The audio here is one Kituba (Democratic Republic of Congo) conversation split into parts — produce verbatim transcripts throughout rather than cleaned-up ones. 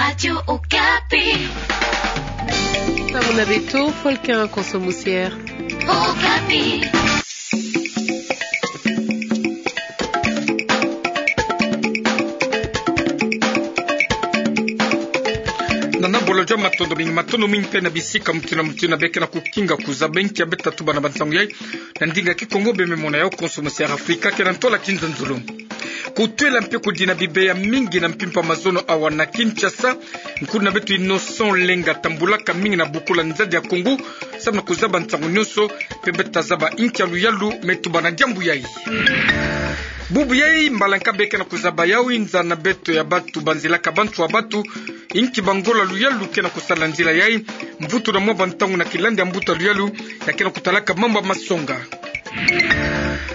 Radio Okapi. Samu na beto, Folkin Konso Musier. Okapi. Nana bolo jwa matondo mingi, matondo mingi mpe na bisika mutino mutino beke na kukinga kuzaba inkia beta tuba na bansangu yai. Na ndinga Kikongo beme mona yao Konso Musier Afrika kena ntola kinzonzolo. Kutwela mpe kudina bibeya mingi na mpimpa mazono awa na Kinshasa. Nkulu na beto Innocent Lenga tambulaka mingi na bukula nzadi ya Kongo, samu na kuzaba nsangu nyonso, mpe beta zaba inkia luyalu me tuba na diambu yai. Bubu yai mbala nka beke na kuzaba yau inza na beto ya batu banzilaka bantu ya batu, inki bangolo ya luyalu kena kusala nzila yai, mvutu na mwa bantangu na kilandi ya mbuta ya luyalu, ya kena kutalaka mambu ya masonga.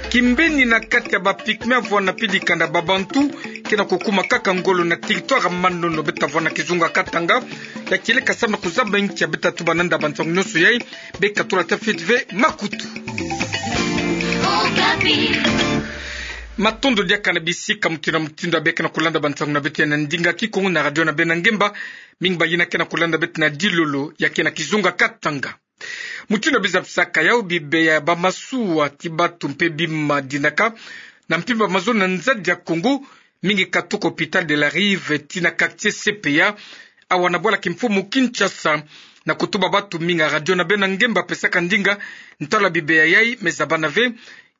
Kimbeni na kati ya ba pygmées avwanda mpidi kanda ba bantu, kena kukuma kaka ngolo na territoire Manono beta vwanda kizunga Katanga, ya kieleka samu na kuzaba inkia beta tuba nanda bansangu nyonso yai, beka tula tia fioti ve makutu. Matondo diaka na bisika mutino mutino beke na kulanda bansangu na beto ya na ndinga Kikongo na radio na beno ya ngemba, mingi bayina kena kulanda beto na dilolo ya kena kizunga Katanga. Mutino biza bisaka yau bibeya ya bamasuwa ti batu mpe bima dinaka na mpimpa mazono na nzadi ya Kongo, mingi katuka Hôpital de la Rive ti na quartier C P A, awa na bwala kimfumu Kinshasa. Na kutuba batu mingi, radio na beno ya ngemba pesaka ndinga ntalu ya bibeya yai, me zabana ve,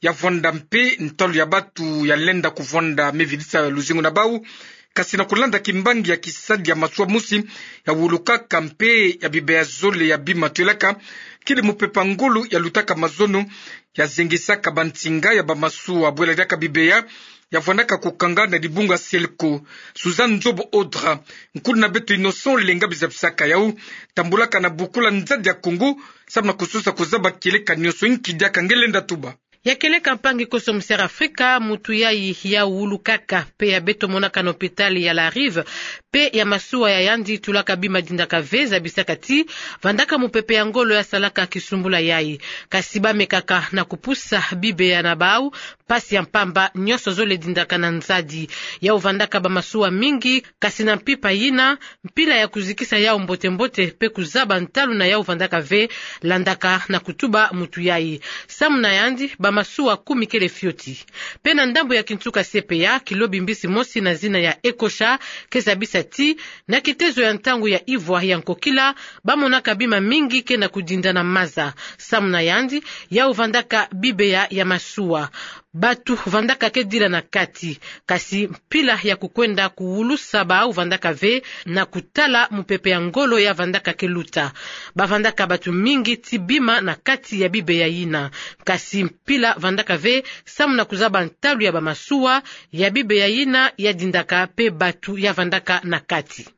ya vwanda mpe ntalu ya batu ya lenda kuvwanda me vidisa luzingu na bau. Kasi na kulanda kimbangi ya kisadi ya masuwa mosi ya wulukaka mpe ya bibeya zole ya bima twelaka, kidi mupepe ya ngolo ya lutaka mazono ya zengisaka bansinga ya bamasuwa bwela diaka bibeya ya vwandaka kukanga na dibunga Selco. Suzanne Nzobo Odra, nkulu na beto Innocent Lenga biza bisaka yau, tambulaka na bukula nzadi ya Kongo, samu na kusosa kuzaba kieleka nyonso, inki diaka nge lenda tuba. Ya kieleka mpangi Konso Musier Afrika, mutu yai ya wulukaka, mpe ya beto monaka na hôpital ya La Rive, mpe ya masuwa ya yandi tulaka bima dindaka ve, zabisaka ti vandaka mupepe ya ngolo ya salaka kisumbula yai. Kasi bamekaka na kupusa bibeya na bau, mpasi ya mpamba nyonso zole dindaka na nzadi. Yau vandaka bamasuwa mingi, kasi na mpimpa yina, mpila ya kuzikisa yau mbote-mbote mpe kuzaba ntalu na yau vandaka ve, landaka na kutuba mutu yai. Samu na yandi, bamasuwa kumi kele fioti. Mpe na ndambu ya kinsuka C P A, kilobi mbisi mosi na zina ya Ekosha ke zabisa ti, na kitezo ya ntangu ya ivwa ya nkokila, bamonaka bima mingi kena kudinda na maza. Samu na yandi, yau vandaka bibeya ya masuwa. Batu vandaka ke dila na kati, kasi mpila ya kukwenda kuwulusa bau vandaka ve na kutala mupepe ya ngolo ya vandaka ke luta. Bavandaka batu mingi ti bima na kati ya bibeya yina, kasi mpila vandaka ve samu na kuzaba ntalu ya bamasuwa ya bibeya yina ya dindaka mpe batu ya vandaka na kati.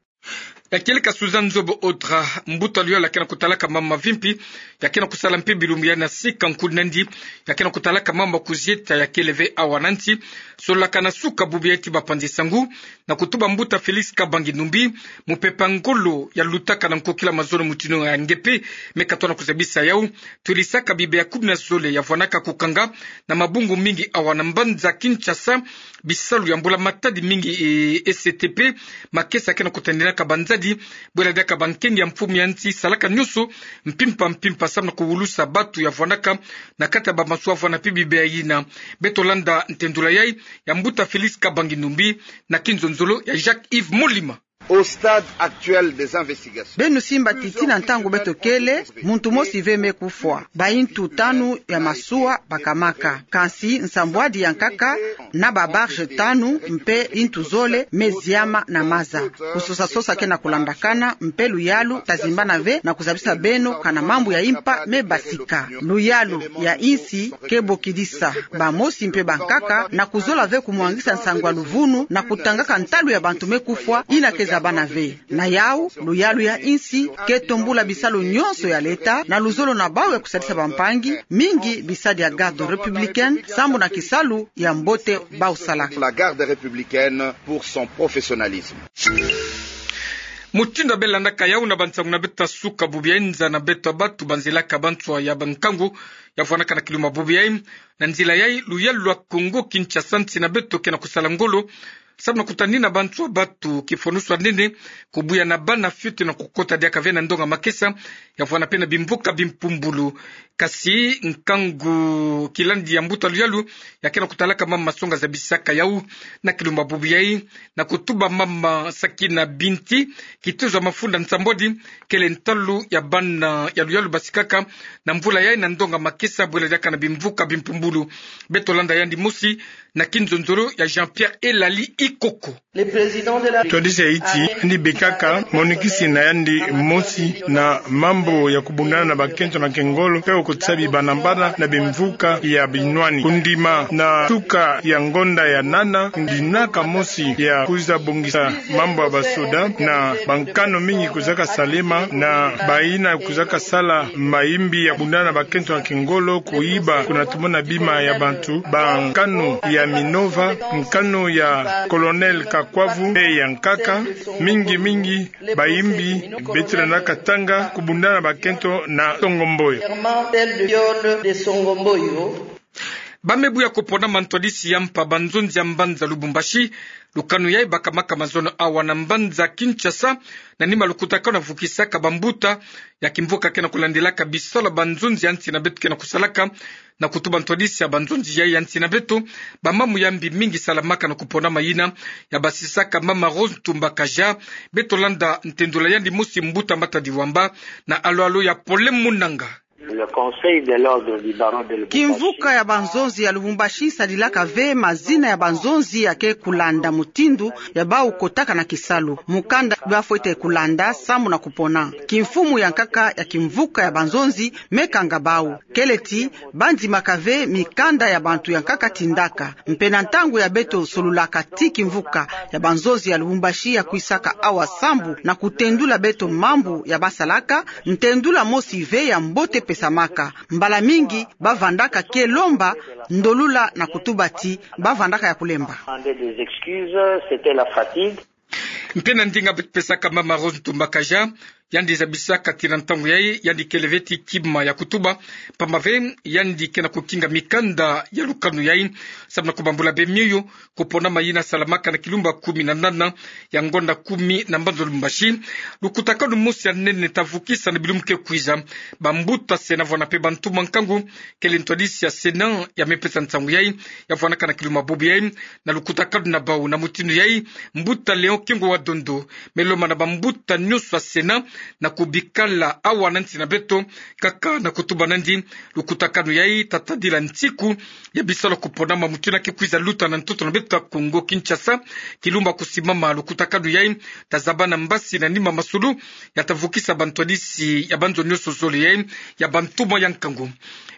Ya kieleka Suzanne Nzobo Odra, mbuta luyalu ya kena kutalaka mama mavimpi, ya kena kusala mpe bilumbu ya na sika nkulu na yandi, ya kena kutalaka mama kuzieta ya kele ve awa na nsi. Sololaka na suka bubu yai ti bapanzi sangu, na kutuba mbuta Félix Kabangi Numbi, mupepe ya ngolo ya lutaka na nkokila mazono mutino ya nge mpe, me katona kuzabisa yau, twelisaka bibeya kumi na zole ya vwanaka kukanga na mabungu mingi awa na mbanza Kinshasa, bisalu ya mbula matadi mingi, e, E C T P, makesa kena kutandinaka banzadi, bwela diaka bankengi ya mfumu ya nsi salaka nyonso mpimpa mpimpa samu na kuwulusa batu ya vwanaka na kati ya bamasuwa vwana mpe bibeya yina. Beto landa ntendula yai ya mbuta Félix Kabangi Numbi na kinzonzolo ya Jacques Yves Molima. Au stade actuel des investigations. Beno simba ti tii na ntangu beto kele, muntu mosi ve me kufwa. Bayintu tanu ya masuwa bakamaka. Kansi nsambwadi ya nkaka na ba barge tanu mpe yintu zole me ziama na maza. Kusosa-sosa kena kulandakana mpe luyalu tazimbana ve na kuzabisa beno kana mambu ya impa me basika. Luyalu ya insi ke bokidisa bamosi mpe bankaka na kuzola ve kumwangisa nsangu ya luvunu na kutangaka ntalu ya bantu me kufwa, yina ke zabana ve. Na yau, luyalu ya insi ke tombula bisalu nyonso ya leta na luzolo na bau ya kusadisa bampangi, mingi bisadi ya garde républicaine, sambu na kisalu ya mbote bau salaka. La garde républicaine pour son professionnalisme. Mutindu ya belandaka yau na bansangu na beto ya suka bubu yai, nza na beto ya batu banzilaka banswa ya bankangu ya vwanaka na kiluma bubu yai. Na nzila yai, luyalu lwa Kongo Kinshasa, nsi na beto kena kusala ngolo samu na kutanina bantu ya batu kifwanusu ya nene, kubuya na bana fioti na kukota diaka ve na ndonga makesa, ya vwanda pe na bimvuka bimpumbulu. Kasi nkangu kilandi ya mbuta luyalu, ya ke na kutalaka mama Songa zabisaka yau, na kilumba bubu yai, na kutuba mama Sakina Binti, kitezo ya mafunda nsambwadi, kele ntalu ya bana ya luyalu basikaka na mvula yai na ndonga makesa, bwela diaka na bimvuka bimpumbulu. Beto landa yandi mosi na kinzonzolo ya Jean-Pierre Elali Ikoko. Ntwadisi ya Haïti, yandi bekaka monikisi na yandi mosi na mambu ya kubundana na bakento na kingolo, pe okotisa bibana-bana na bimvuka ya binwani. Kundima na tuka ya ngonda ya nana, kundinaka mosi ya kwiza bongisa mambu ya basoda, na bankanu mingi kwizaka salema, na bayina kwizaka sala mayimbi ya kubundana na bakento na kingolo, kuyiba, kuna tumona bima ya bantu, bankanu ya Minova, nkanu ya Colonel Kakwavu, pe ya nkaka, mingi mingi, bayimbi, beto lenda katanga, kubundana na bakento na Songo Mboyo. Ba me buya kupona mantwadisi ya mpa banzonzi ya mbanza Lubumbashi, lukanu yai bakamaka mazono awa na mbanza Kinshasa, na nima lukutakanu ya vukisaka bambuta ya kimvuka ke na kulandilaka bisalu ya banzonzi ya nsi na beto ke na kusalaka, na kutuba ntwadisi ya banzonzi yai ya nsi na beto, bamamu ya mbi mingi salamaka na kupona mayina ya basisaka mama Rose Ntumba Kaja. Beto landa ntendula yandi mosi mbuta Matadi Wamba na alo-alo ya Pole Munanga. Le Conseil de l'Ordre du Barreau de Lubumbashi. Kimvuka ya banzonzi ya Lubumbashi sadilaka ve mazina ya banzonzi ya ke kulanda mutindu ya bau kotaka na kisalu, mukanda bafwete kulanda samu na kupona. Kimfumu ya nkaka ya kimvuka ya banzonzi me kanga bau. Kele ti bandimaka ve mikanda ya bantu ya nkaka tindaka. Mpe na ntangu ya beto solulaka ti kimvuka ya banzonzi ya Lubumbashi ya kwisaka awa sambu na kutendula beto mambu ya basalaka, ntendula mosi ve ya mbote pesamaka. Mbala mingi bavandaka ke lomba ndolula na kutuba ti bavandaka ya kulemba. Mpe na ndinga beto pesaka mama Rose Ntumba Kaja, yandi zabisaka ti na ntangu yai, yandi kele ve ti kima ya kutuba, pamba ve yandi ke na kukinga mikanda ya lukanu yai, samu na kubambula be mioyo, kupona mayina salamaka na kilumba kumi na nana ya ngonda kumi na mbanza Lubumbashi. Lukutakanu mosi ya nene ta vukisa na bilumbu ke kwiza bambuta Sénat vwanda pe bantu mwa nkangu, kele ntwadisi ya Sénat ya me pesa nsangu yai, ya vwanaka na kilumba bubu yai, na lukutakanu na bau. Na mutindu yai, mbuta Léon Kengo wa Dondo me lomba na bambuta nyonso ya Sénat na kubikala awa na nsi na beto, kaka na kutuba nandi lukutakanu yai ta tadila nsiku ya bisalu ya kuponama mutindu ke kwiza luta na ntoto na beto ya Kongo Kinshasa. Kilumba kusimama lukutakanu yai ta zaba na mbasi na nima masulu ya ta vukisa bantwadisi ya banzo nyonso zole yai ya bantumwa ya nkangu.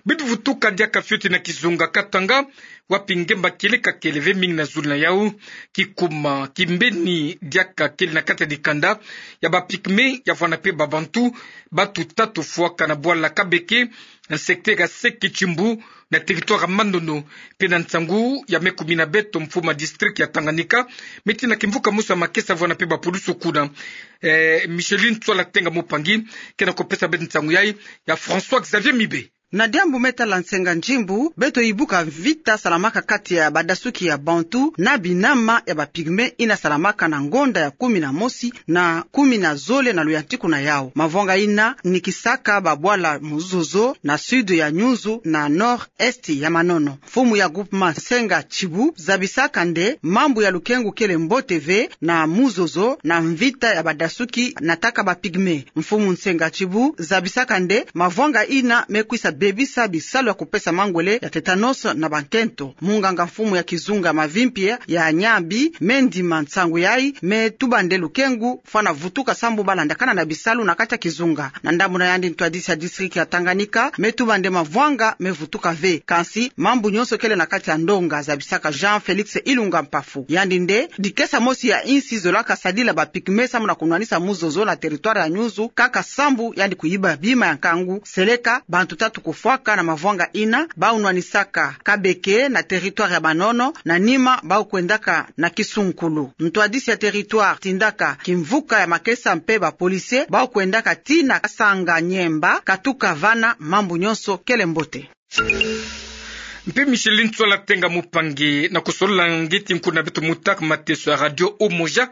Beto vutuka diaka fioti na kizunga Katanga, wapi ngemba kieleka kele ve mingi na zulu na yau. Kikuma kimbeni diaka kele na kati ya dikanda ya ba pygmées ya vwanda pe babantu, batu tatu fwaka na bwala Kabeke, na secteur ya Seke Tchimbu, na territoire ya Manono. Mpe na nsangu ya me kumina beto, mfumu ya district ya Tanganyika me tina kimvuka mosi ya makesa vwanda pe bapulusu kuna. Eh, Micheline Tswala Tenga Mupangi ke na kupesa beto nsangu yai ya François Xavier Mibe. Na diambu me tala nsenga njimbu, beto ibuka mvita salamaka kati ya badasuki ya bantu na binama ya ba pygmées ina salamaka na ngonda ya kumi na mosi na kumi na zole na luyantiku na yau. Mavwanga ina nikisaka babwala Muzozo na sud ya Nyunzu na nord-est ya Manono. Mfumu ya groupement Nsenga Tchibu zabisaka nde mambu ya lukengu kele mbote ve na Muzozo na mvita ya badasuki nataka ba pygmées. Mfumu Nsenga Tchibu zabisaka nde mavwanga ina me kwisa bebisa bisalu ya kupesa mangwele ya tétanos na bankento. Munganga mfumu ya kizunga Mavimpie ya Nyabi me ndima nsangu yai, me tuba nde lukengu fwana vutuka sambu balandakana na bisalu na kati ya kizunga. Na ndambu na yandi, ntwadisi ya district ya Tanganyika me tuba nde mavwanga me vutuka ve, kansi mambu nyonso kele na kati ya ndonga, zabisaka Jean Félix Ilunga Mpafu. Yandi nde dikesa mosi ya insi zolaka sadila ba pygmées samu na kunwanisa Muzozo na territoire ya Nyunzu, kaka sambu yandi kuyiba bima ya nkangu, seleka bantu tatu kufwaka na mavwanga ina, bau nwanisaka Kabeke na territoire ya Manono, na nima bau kwendaka na Kisunkulu. Ntwadisi ya territoire tindaka kimvuka ya makesa mpe ba policiers bau kwendaka tii na Kasanga Nyemba, katuka vana mambu nyonso kele mbote. Mpe Micheline Tswala Tenga Mupangi, na kusolola nge ti nku na beto mutak mateso ya Radio Umoja,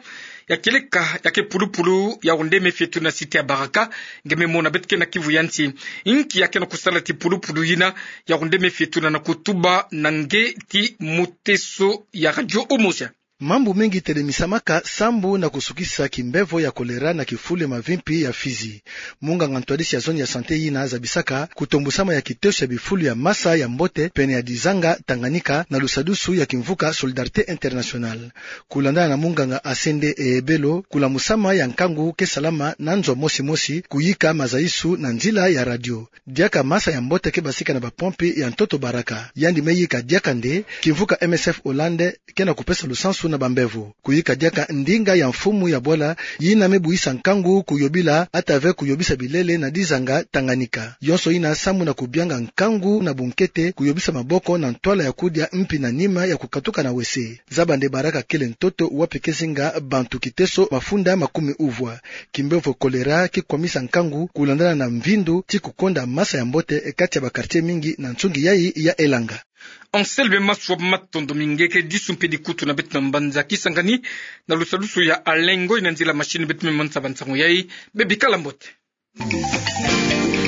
ya kieleka ya ke pulupulu ya kunde mefetu na site ya Baraka, nge memo na beto ke na kivu ya nsi. Nki ya ke na kusala ti pulupulu yina ya kunde mefetu na, na kutuba na nge ti muteso ya Radio Umoja? Mambu mengi telemisamaka sambu na kusukisa kimbevo ya kolera na kifulu ya mavimpi ya Fizi. Munganga ntwadisi ya zone ya santé yina zabisaka kutombusama ya kiteso ya bifulu ya masa ya mbote pene ya dizanga Tanganyika na lusadusu ya kimvuka Solidarité Internationale. Kulandana na munganga Asende Ehebelo, kulamusama ya nkangu ke salama na nzo mosi mosi kuyika mazaisu na nzila ya radio. Diaka masa ya mbote ke basika na bapompi ya ntoto Baraka. Yandi me yika diaka nde, kimvuka M S F Hollande ke na kupesa lusansu na bambevo. Kuyika diaka ndinga ya mfumu ya bola, yina me buisa nkangu kuyobila, atave kuyobisa bilele na dizanga Tanganyika. Yonso yina sambu na kubianga nkangu na bunkete kuyobisa maboko na ntwala ya kudia mpi na nima ya kukatuka na wese. Zaba nde Baraka kele ntoto wapi ke zinga bantu kiteso mafunda makumi uvwa. Kimbevo kolera ke kwamisa nkangu kulandana na mvindu ti kukonda masa ya mbote kati ya ba quartier mingi na nsungi yai ya Elanga. Anselme Maswa, matondo mingi, ke disu mpe dikutu na beto na mbanza kisangani na lusadusu ya Alengo ina nzila machine, beto me mansa ba nsangu yai, bebikala mbote.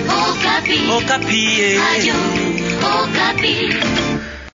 Okapi. Okapi, eh. Radio Okapi.